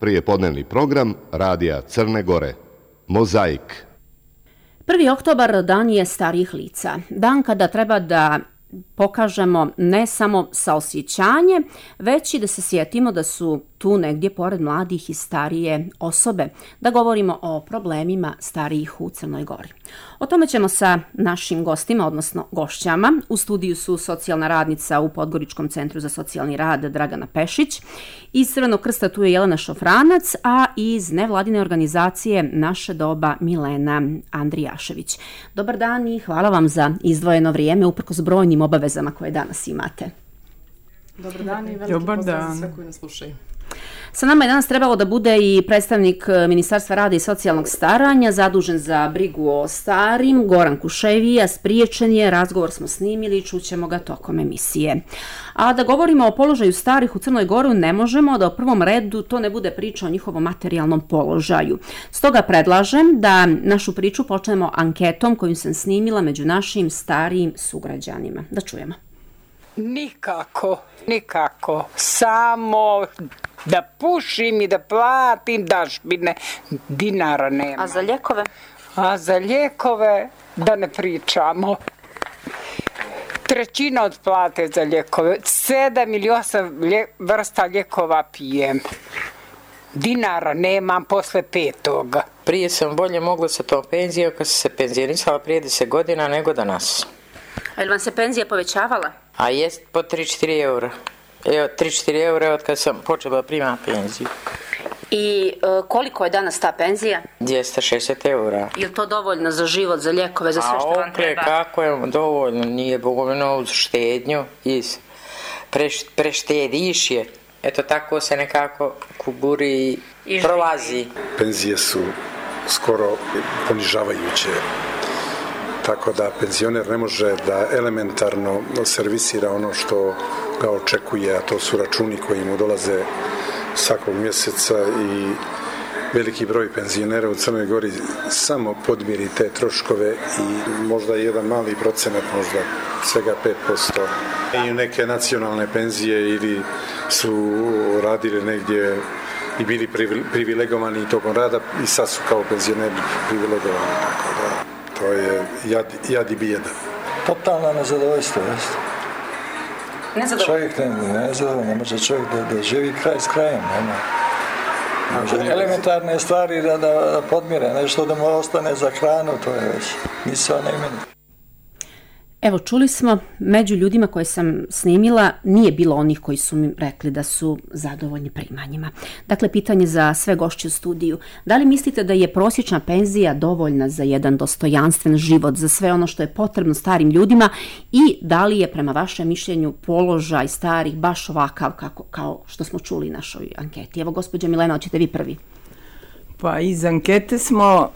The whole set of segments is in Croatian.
prijepodnevni program Radija Crne Gore. Mozaik. 1. oktobar dan je starijih lica. Dan kada treba da pokažemo ne samo saosjećanje, već i da se sjetimo da su tu negdje pored mladih i starije osobe, da govorimo o problemima starijih u Crnoj Gori. O tome ćemo sa našim gostima, odnosno gošćama. U studiju su socijalna radnica u Podgoričkom centru za socijalni rad Dragana Pešić, iz Crvenog krsta tu je Jelena Šofranac, a iz nevladine organizacije Naše doba Milena Andrijašević. Dobar dan i hvala vam za izdvojeno vrijeme uprkos brojnim obavezama koje danas imate. Dobar dan i veliki pozdrav za sve koji nas slušaju. Sa nama je danas trebalo da bude i predstavnik Ministarstva rada i socijalnog staranja, zadužen za brigu o starim, Goran Kuševija, spriječen je, razgovor smo snimili i čućemo ga tokom emisije. A da govorimo o položaju starih u Crnoj Gori ne možemo da u prvom redu to ne bude priča o njihovom materijalnom položaju. Stoga predlažem da našu priču počnemo anketom koju sam snimila među našim starijim sugrađanima. Da čujemo. Nikako. Samo da pušim i da platim dažbine, dinara nema. A za lijekove? A za lijekove da ne pričamo. Trećina od plate za lijekove. 7 ili 8 vrsta lijekova pijem. Dinara nemam posle 5. Prije sam bolje mogla sa tom penzijom kad sam se penzionisala prije 10 godina nego danas. A li vam se penzija povećavala? A jest po 3-4 eura. Evo, 3-4 eura od kad sam počela primati penziju. I koliko je danas ta penzija? 260 eura. Je li to dovoljno za život, za lijekove, za sve što vam treba? Kako je dovoljno? Nije dovoljno uz štednju i preštediš je. Eto tako se nekako kuburi i prolazi. Penzije su skoro ponižavajuće. Tako da penzioner ne može da elementarno servisira ono što ga očekuje, a to su računi koji mu dolaze svakog mjeseca i veliki broj penzionera u Crnoj Gori samo podmiri te troškove i možda jedan mali procenat, možda svega 5%. I neke nacionalne penzije ili su radili negdje i bili privilegovani tokom rada i sad su kao penzioneri privilegovani, tako da to je jad i bijeda. Totalno nezadovoljstvo, jeste. Čovjek ne može čovjek da živi kraj s krajem, nema. Elementarne stvari da podmire, nešto da mu ostane za hranu, to je već misao na imenu. Evo, čuli smo, među ljudima koje sam snimila nije bilo onih koji su mi rekli da su zadovoljni primanjima. Dakle, pitanje za sve gošće u studiju. Da li mislite da je prosječna penzija dovoljna za jedan dostojanstven život, za sve ono što je potrebno starim ljudima i da li je prema vašem mišljenju položaj starih baš ovakav kao što smo čuli u našoj anketi? Evo, gospođo Milena, hoćete vi prvi? Pa iz ankete smo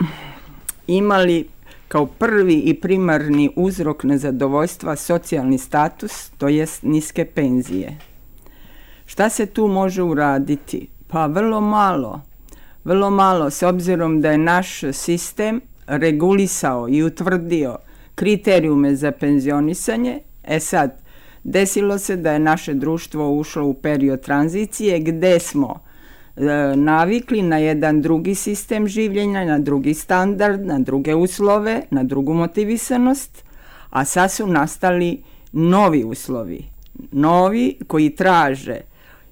imali kao prvi i primarni uzrok nezadovoljstva socijalni status, to jest niske penzije. Šta se tu može uraditi? Pa vrlo malo, s obzirom da je naš sistem regulisao i utvrdio kriterijume za penzionisanje. Sad, desilo se da je naše društvo ušlo u period tranzicije gdje smo navikli na jedan drugi sistem življenja, na drugi standard, na druge uslove, na drugu motivisanost, a sad su nastali novi uslovi, novi koji traže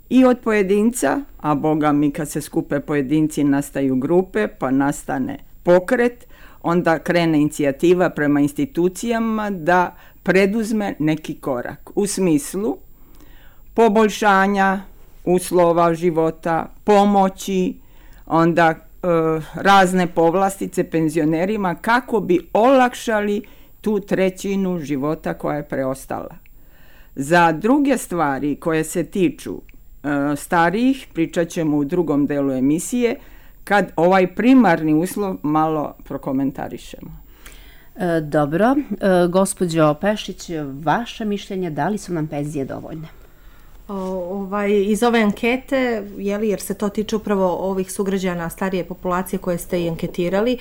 i od pojedinca, a boga mi kad se skupe pojedinci nastaju grupe, pa nastane pokret, onda krene inicijativa prema institucijama da preduzme neki korak u smislu poboljšanja uslova života, pomoći, onda razne povlastice penzionerima kako bi olakšali tu trećinu života koja je preostala. Za druge stvari koje se tiču starijih pričat ćemo u drugom delu emisije kad ovaj primarni uslov malo prokomentarišemo. Dobro, gospođo Pešić, vaše mišljenje, da li su nam penzije dovoljne? Iz ove ankete, jer se to tiče upravo ovih sugrađana starije populacije koje ste i anketirali,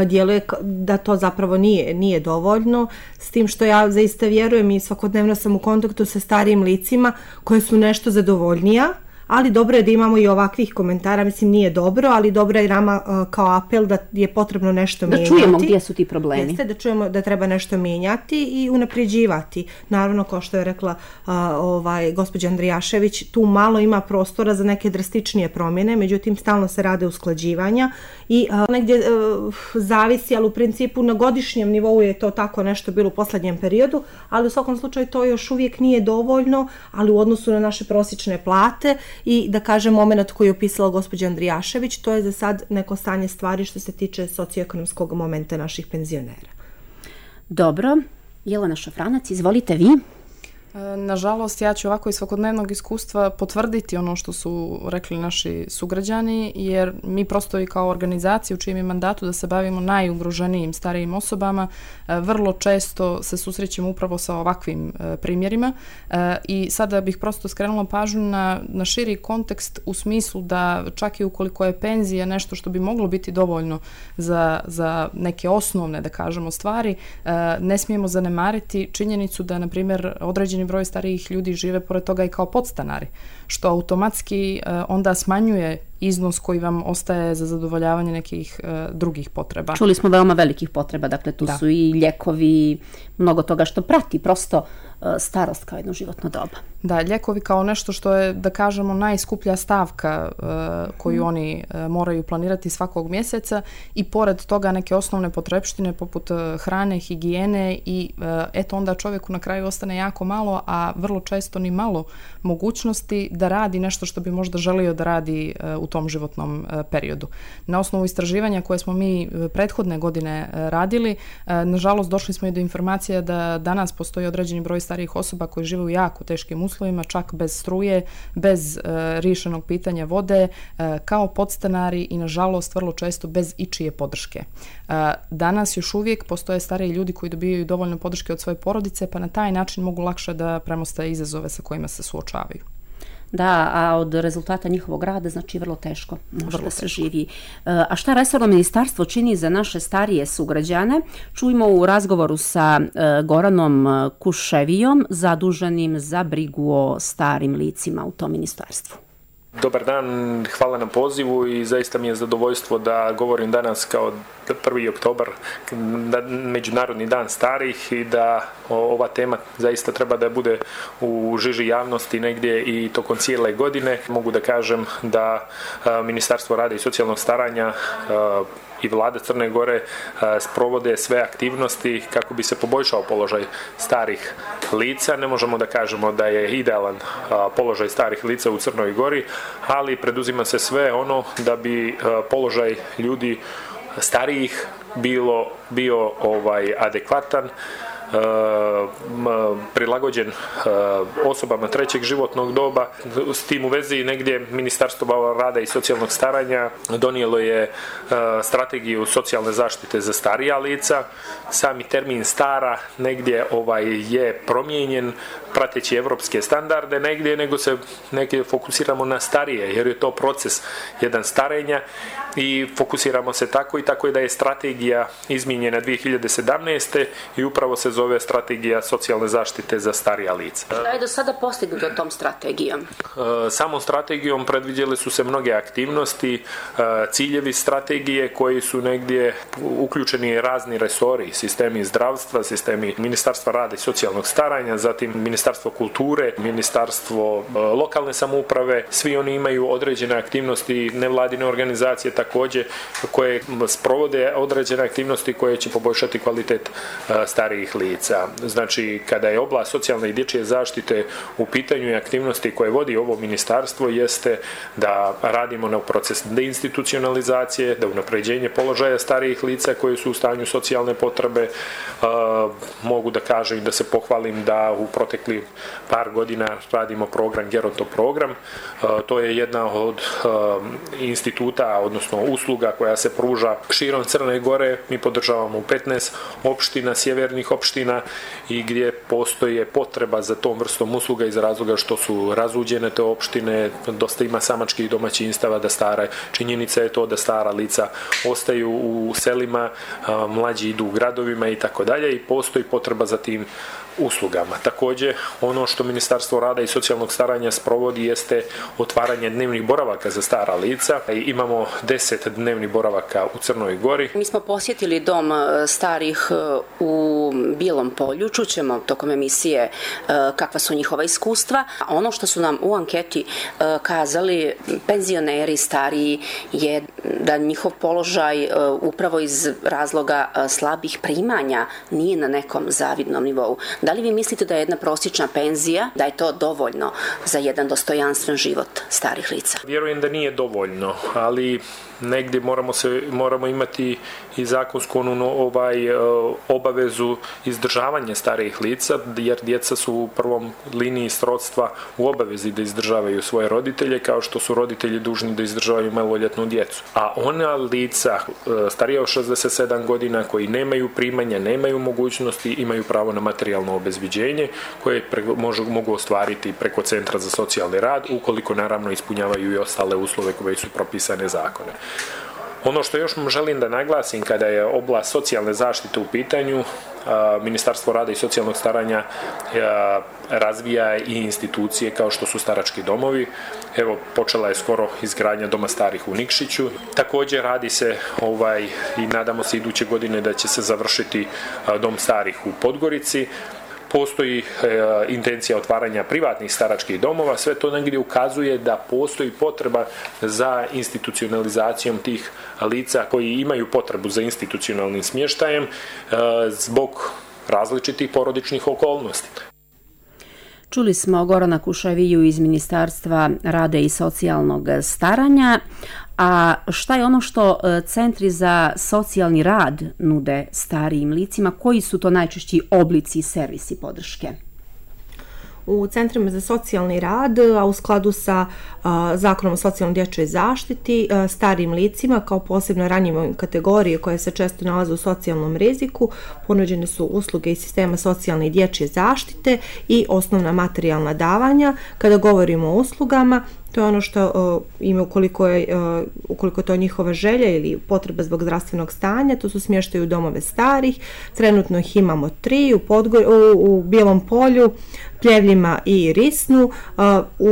djeluje da to zapravo nije dovoljno, s tim što ja zaista vjerujem i svakodnevno sam u kontaktu sa starijim licima koje su nešto zadovoljnija, ali dobro je da imamo i ovakvih komentara, mislim nije dobro, ali dobro je nama kao apel da je potrebno nešto mijenjati. Da čujemo gdje su ti problemi. Jeste, da čujemo da treba nešto mijenjati i unapređivati. Naravno, kao što je rekla gospođa Andrijašević, tu malo ima prostora za neke drastičnije promjene, međutim stalno se rade usklađivanja i negdje zavisi, ali u principu na godišnjem nivou je to tako nešto bilo u posljednjem periodu, ali u svakom slučaju to još uvijek nije dovoljno, ali u odnosu na naše prosječne plate i da kažem moment koji je opisala gospođa Andrijašević, to je za sad neko stanje stvari što se tiče socioekonomskog momenta naših penzionera. Dobro, Jelena Šafranac, izvolite vi. Nažalost, ja ću ovako iz svakodnevnog iskustva potvrditi ono što su rekli naši sugrađani, jer mi prosto i kao organizacija u čijem je mandatu da se bavimo najugroženijim starijim osobama, vrlo često se susrećemo upravo sa ovakvim primjerima i sada bih prosto skrenula pažnju na širi kontekst u smislu da čak i ukoliko je penzija nešto što bi moglo biti dovoljno za neke osnovne, da kažemo, stvari, ne smijemo zanemariti činjenicu da, na primjer, određeni broj starijih ljudi žive pored toga i kao podstanari, što automatski onda smanjuje iznos koji vam ostaje za zadovoljavanje nekih drugih potreba. Čuli smo veoma velikih potreba, dakle tu su i ljekovi, mnogo toga što prati prosto starost kao jedno životno doba. Da, ljekovi kao nešto što je, da kažemo, najskuplja stavka koju oni moraju planirati svakog mjeseca i pored toga neke osnovne potrepštine poput hrane, higijene i eto onda čovjeku na kraju ostane jako malo, a vrlo često ni malo mogućnosti da radi nešto što bi možda želio da radi u tom životnom periodu. Na osnovu istraživanja koje smo mi prethodne godine radili, nažalost došli smo i do informacija da danas postoji određeni broj starijih osoba koji žive u jako teškim uslovima, čak bez struje, bez riješenog pitanja vode, kao podstanari i nažalost vrlo često bez ičije podrške. Danas još uvijek postoje stariji ljudi koji dobijaju dovoljno podrške od svoje porodice, pa na taj način mogu lakše da premoste izazove sa kojima se suočavaju. Da, a od rezultata njihovog rada znači vrlo teško može da se živi. A šta resorno ministarstvo čini za naše starije sugrađane? Čujemo u razgovoru sa Goranom Kuševijom, zaduženim za brigu o starim licima u tom ministarstvu. Dobar dan, hvala na pozivu i zaista mi je zadovoljstvo da govorim danas kao 1. oktobar, Međunarodni dan starih i da ova tema zaista treba da bude u žiži javnosti negdje i tokom cijele godine. Mogu da kažem da Ministarstvo rada i socijalnog staranja i Vlada Crne Gore sprovode sve aktivnosti kako bi se poboljšao položaj starih lica. Ne možemo da kažemo da je idealan položaj starih lica u Crnoj Gori, ali preduzima se sve ono da bi položaj ljudi starijih bio adekvatan, prilagođen osobama trećeg životnog doba. S tim u vezi negdje Ministarstvo rada i socijalnog staranja donijelo je strategiju socijalne zaštite za starija lica. Sami termin stara negdje je promijenjen prateći evropske standarde negdje, nego se negdje fokusiramo na starije, jer je to proces jedan starenja i fokusiramo se tako i tako je da je strategija izmijenjena 2017. i upravo se zove strategija socijalne zaštite za starija lica. Šta je do sada postignuto tom strategijom? Samom strategijom predviđele su se mnoge aktivnosti, ciljevi strategije koji su negdje uključeni razni resori, sistemi zdravstva, sistemi Ministarstva rada i socijalnog staranja, zatim Ministarstvo kulture, Ministarstvo lokalne samouprave, svi oni imaju određene aktivnosti, nevladine organizacije također koje sprovode određene aktivnosti koje će poboljšati kvalitet starijih lica. Znači, kada je oblast socijalne i dječje zaštite u pitanju i aktivnosti koje vodi ovo ministarstvo jeste da radimo na proces deinstitucionalizacije, da unapređenje položaja starijih lica koji su u stanju socijalne potrebe. Mogu da kažem i da se pohvalim da u protekli par godina radimo program Geronto program. To je jedna od instituta, odnosno usluga koja se pruža širom Crne Gore. Mi podržavamo u 15 opština, sjevernih opština i gdje postoje potreba za tom vrstom usluga iz razloga što su razuđene te opštine, dosta ima samačkih domaćinstava da stara. Činjenica je to da stara lica ostaju u selima, mlađi idu u gradovima i tako dalje i postoji potreba za tim uslugama. Također, ono što Ministarstvo rada i socijalnog staranja sprovodi jeste otvaranje dnevnih boravaka za stara lica. Imamo 10 dnevnih boravaka u Crnoj Gori. Mi smo posjetili dom starih u Bijelom Polju, čućemo tokom emisije kakva su njihova iskustva. Ono što su nam u anketi kazali penzioneri stariji je da njihov položaj upravo iz razloga slabih primanja nije na nekom zavidnom nivou. Da li vi mislite da je jedna prosječna penzija, da je to dovoljno za jedan dostojanstven život starih lica? Vjerujem da nije dovoljno, ali negdje moramo imati i zakonsku obavezu izdržavanja starijih lica, jer djeca su u prvom liniji srodstva u obavezi da izdržavaju svoje roditelje, kao što su roditelji dužni da izdržavaju maloljetnu djecu. A ona lica starija od 67 godina koji nemaju primanja, nemaju mogućnosti, imaju pravo na materijalno obezbiđenje koje mogu ostvariti preko Centra za socijalni rad, ukoliko naravno ispunjavaju i ostale uslove koje su propisane zakone. Ono što još želim da naglasim kada je oblast socijalne zaštite u pitanju, Ministarstvo rada i socijalnog staranja razvija i institucije kao što su starački domovi. Evo, počela je skoro izgradnja Doma starih u Nikšiću. Također radi se i nadamo se iduće godine da će se završiti Dom starih u Podgorici. Postoji intencija otvaranja privatnih staračkih domova, sve to negdje ukazuje da postoji potreba za institucionalizacijom tih lica koji imaju potrebu za institucionalnim smještajem zbog različitih porodičnih okolnosti. Čuli smo Gorana Kušaviju iz Ministarstva rada i socijalnog staranja. A šta je ono što centri za socijalni rad nude starijim licima? Koji su to najčešći oblici i servisi podrške? U centrima za socijalni rad, a u skladu sa Zakonom o socijalnoj dječjoj zaštiti, starijim licima kao posebno ranjivoj kategorije koje se često nalaze u socijalnom riziku, ponuđene su usluge iz sistema socijalne i dječje zaštite i osnovna materijalna davanja. Kada govorimo o uslugama, to je ono što ima ukoliko je to njihova želja ili potreba zbog zdravstvenog stanja, to su smještaj u domove starih. Trenutno ih imamo 3 u Bijelom Polju, Pljevljima i Risnu.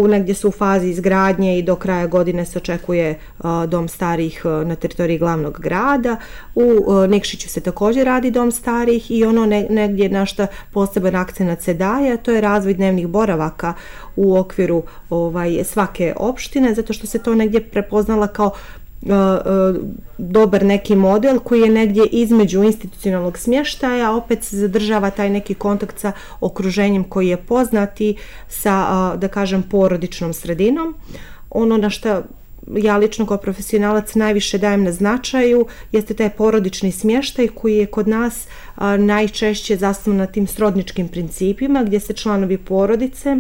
Negdje su u fazi izgradnje i do kraja godine se očekuje dom starih na teritoriji glavnog grada. U Nikšiću se također radi dom starih i ono negdje na što poseban akcenat se daje, to je razvoj dnevnih boravaka u okviru svake opštine, zato što se to negdje prepoznala kao dobar neki model koji je negdje između institucionalnog smještaja, opet se zadržava taj neki kontakt sa okruženjem koji je poznati sa, da kažem, porodičnom sredinom. Ono na što ja lično kao profesionalac najviše dajem na značaju jeste taj porodični smještaj koji je kod nas najčešće zasnovan na tim srodničkim principima gdje se članovi porodice,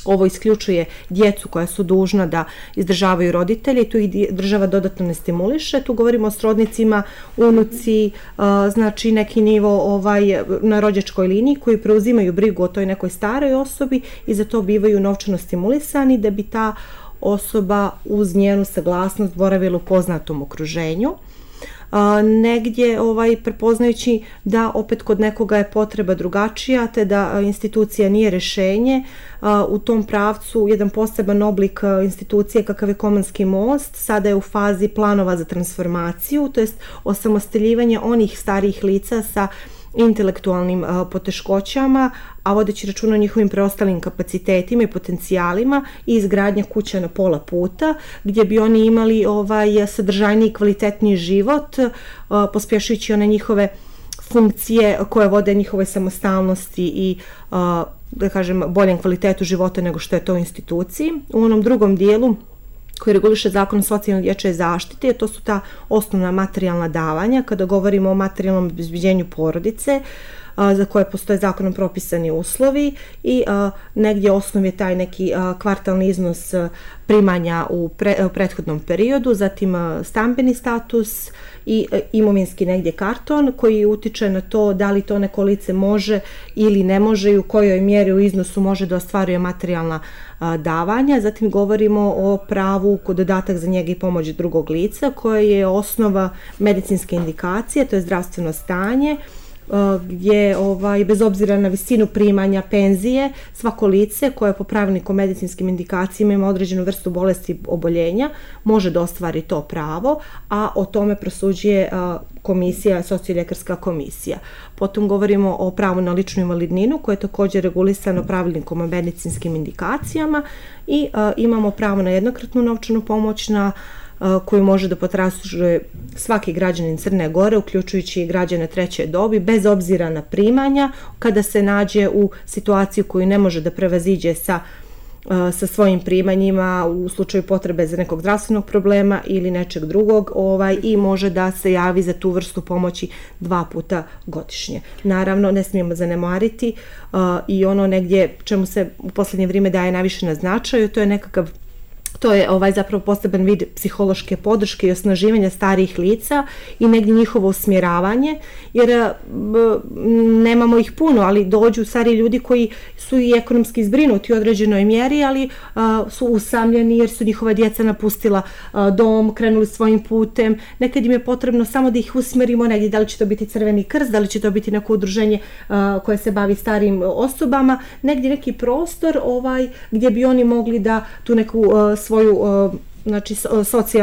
ovo isključuje djecu koja su dužna da izdržavaju roditelje i tu ih država dodatno ne stimuliše. Tu govorimo o srodnicima, unuci, znači neki nivo na rođačkoj liniji koji preuzimaju brigu o toj nekoj staroj osobi i za to bivaju novčano stimulisani da bi ta osoba uz njenu saglasnost boravila u poznatom okruženju. Negdje prepoznajući da opet kod nekoga je potreba drugačija te da institucija nije rješenje, u tom pravcu jedan poseban oblik institucije kakav je Komanski most sada je u fazi planova za transformaciju, to jest osamostaljivanje onih starijih lica sa intelektualnim poteškoćama, a vodeći računa o njihovim preostalim kapacitetima i potencijalima i izgradnja kuća na pola puta gdje bi oni imali sadržajniji i kvalitetniji život, pospješujući one njihove funkcije koje vode njihovoj samostalnosti i da kažem boljem kvalitetu života nego što je to u instituciji. U onom drugom dijelu koji reguliše Zakon o socijalnoj dječjoj zaštiti, to su ta osnovna materijalna davanja. Kada govorimo o materijalnom obezbeđenju porodice, za koje postoje zakonom propisani uslovi i negdje osnov je taj neki kvartalni iznos primanja u prethodnom periodu, zatim stambeni status i imovinski negdje karton koji utiče na to da li to neko lice može ili ne može i u kojoj mjeri u iznosu može da ostvaruje materijalna davanja. Zatim govorimo o pravu kod dodatak za njega i pomoć drugog lica koje je osnova medicinske indikacije, to je zdravstveno stanje gdje bez obzira na visinu primanja penzije, svako lice koje po pravilniku o medicinskim indikacijama ima određenu vrstu bolesti oboljenja može da ostvari to pravo, a o tome prosuđuje komisija, socioljekarska komisija. Potom govorimo o pravu na ličnu invalidninu koje je također regulisano pravilnikom o medicinskim indikacijama i imamo pravo na jednokratnu novčanu pomoć koju može da potražuje svaki građanin Crne Gore, uključujući i građane treće dobi, bez obzira na primanja, kada se nađe u situaciju koju ne može da prevaziđe sa svojim primanjima u slučaju potrebe za nekog zdravstvenog problema ili nečeg drugog i može da se javi za tu vrstu pomoći 2 puta godišnje. Naravno, ne smijemo zanemariti i ono negdje čemu se u posljednje vrijeme daje najviše na značaju, to je zapravo poseban vid psihološke podrške i osnaživanja starijih lica i negdje njihovo usmjeravanje, jer nemamo ih puno, ali dođu stariji ljudi koji su i ekonomski zbrinuti u određenoj mjeri, ali su usamljeni jer su njihova djeca napustila dom, krenuli svojim putem. Nekad im je potrebno samo da ih usmjerimo negdje, da li će to biti Crveni krst, da li će to biti neko udruženje koje se bavi starijim osobama, negdje neki prostor gdje bi oni mogli da tu neku svoju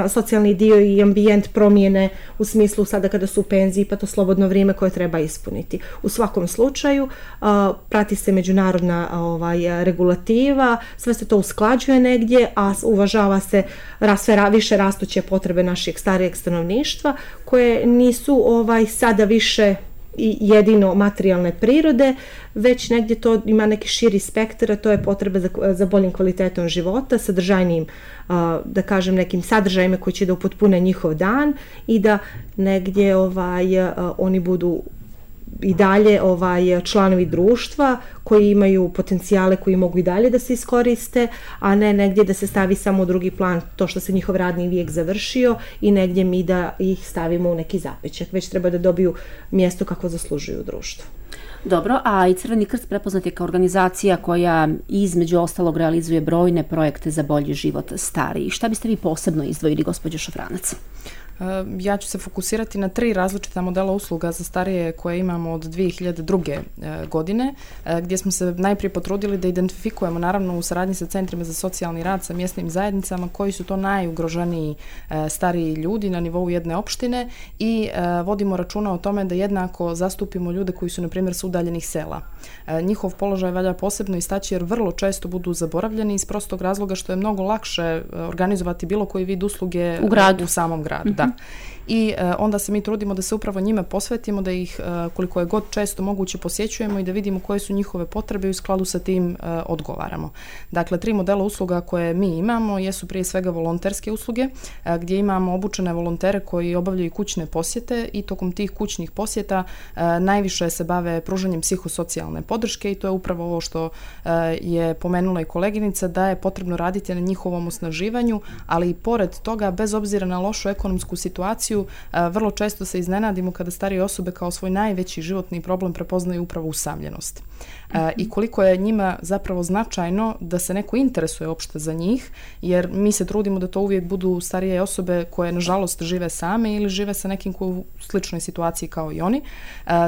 socijalni dio i ambijent promijene u smislu sada kada su u penziji, pa to slobodno vrijeme koje treba ispuniti. U svakom slučaju prati se međunarodna regulativa, sve se to usklađuje negdje, a uvažava se sve više rastuće potrebe našeg starijeg stanovništva koje nisu sada više i jedino materijalne prirode, već negdje to ima neki širi spektar, a to je potreba za boljim kvalitetom života, sadržajnijim, da kažem, nekim sadržajima koji će da upotpune njihov dan i da negdje oni budu i dalje članovi društva koji imaju potencijale koji mogu i dalje da se iskoriste, a ne negdje da se stavi samo u drugi plan to što se njihov radni vijek završio i negdje mi da ih stavimo u neki zapećak, već treba da dobiju mjesto kako zaslužuju u društvu. Dobro, a i Crveni krst prepoznat je kao organizacija koja između ostalog realizuje brojne projekte za bolji život starijih. Šta biste vi posebno izdvojili, gospođo Šofranac? Ja ću se fokusirati na 3 različita modela usluga za starije koje imamo od 2002. godine, gdje smo se najprije potrudili da identifikujemo, naravno u saradnji sa centrima za socijalni rad, sa mjesnim zajednicama, koji su to najugroženiji stariji ljudi na nivou jedne opštine i vodimo računa o tome da jednako zastupimo ljude koji su, na primjer, s udaljenih sela. Njihov položaj valja posebno istaći jer vrlo često budu zaboravljeni iz prostog razloga što je mnogo lakše organizovati bilo koji vid usluge u samom gradu. Da. I onda se mi trudimo da se upravo njima posvetimo, da ih koliko je god često moguće posjećujemo i da vidimo koje su njihove potrebe i u skladu sa tim odgovaramo. Dakle, 3 modela usluga koje mi imamo jesu prije svega volonterske usluge, gdje imamo obučene volontere koji obavljaju kućne posjete i tokom tih kućnih posjeta najviše se bave pružanjem psihosocijalne podrške i to je upravo ovo što je pomenula i koleginica, da je potrebno raditi na njihovom osnaživanju, ali i pored toga, bez obzira na lošu ekonomsku situaciju, vrlo često se iznenadimo kada starije osobe kao svoj najveći životni problem prepoznaju upravo usamljenost. I koliko je njima zapravo značajno da se neko interesuje uopšte za njih, jer mi se trudimo da to uvijek budu starije osobe koje nažalost žive same ili žive sa nekim ko u sličnoj situaciji kao i oni,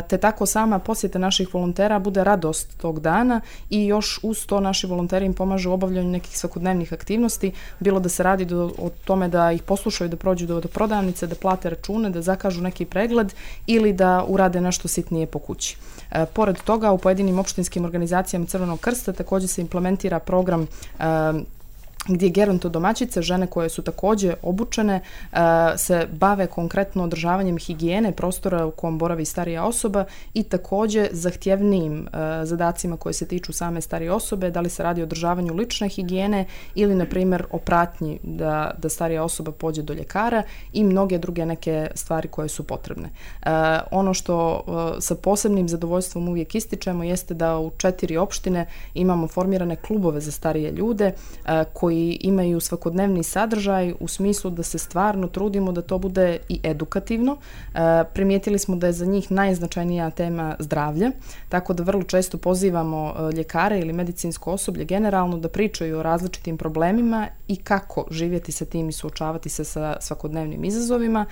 te tako sama posjeta naših volontera bude radost tog dana i još uz to naši volonteri im pomažu u obavljanju nekih svakodnevnih aktivnosti, bilo da se radi o tome da ih poslušaju, da prođu do prodavnice, da plate račune, da zakažu neki pregled ili da urade nešto sitnije po kući. Pored toga, u pojedinim opštinskim organizacijama Crvenog krsta također se implementira program gdje gerontodomaćice, žene koje su također obučene, se bave konkretno održavanjem higijene prostora u kojem boravi starija osoba i također zahtjevnijim zadacima koje se tiču same starije osobe, da li se radi o održavanju lične higijene ili, na primjer, o pratnji da starija osoba pođe do ljekara i mnoge druge neke stvari koje su potrebne. Ono što sa posebnim zadovoljstvom uvijek ističemo jeste da u 4 opštine imamo formirane klubove za starije ljude koji koji imaju svakodnevni sadržaj u smislu da se stvarno trudimo da to bude i edukativno. Primijetili smo da je za njih najznačajnija tema zdravlje, tako da vrlo često pozivamo ljekare ili medicinsko osoblje generalno da pričaju o različitim problemima i kako živjeti sa tim i suočavati se sa svakodnevnim izazovima.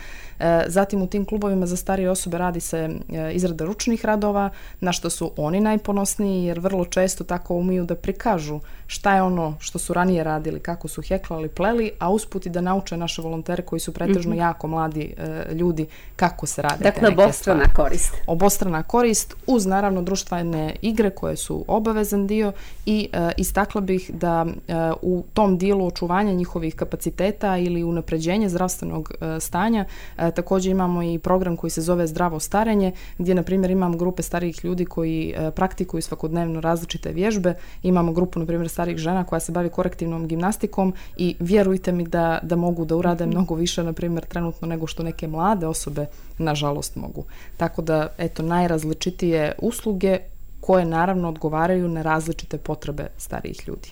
Zatim u tim klubovima za starije osobe radi se izrada ručnih radova, na što su oni najponosniji jer vrlo često tako umiju da prikažu šta je ono što su ranije radili, kako su heklali, pleli, a usput i da nauče naše volontere koji su pretežno jako mladi ljudi kako se rade te neke stvari. Dakle, obostrana korist. Obostrana korist uz naravno društvene igre koje su obavezan dio i istakla bih da u tom dijelu očuvanja njihovih kapaciteta ili unapređenja zdravstvenog stanja također imamo i program koji se zove Zdravo starenje, gdje na primjer imamo grupe starijih ljudi koji praktikuju svakodnevno različite vježbe. Imamo grupu na primjer starijih žena koja se bavi korektivnom gimnastikom i vjerujte mi da mogu da urade mnogo više na primjer trenutno nego što neke mlade osobe nažalost mogu. Tako da eto najrazličitije usluge koje naravno odgovaraju na različite potrebe starijih ljudi.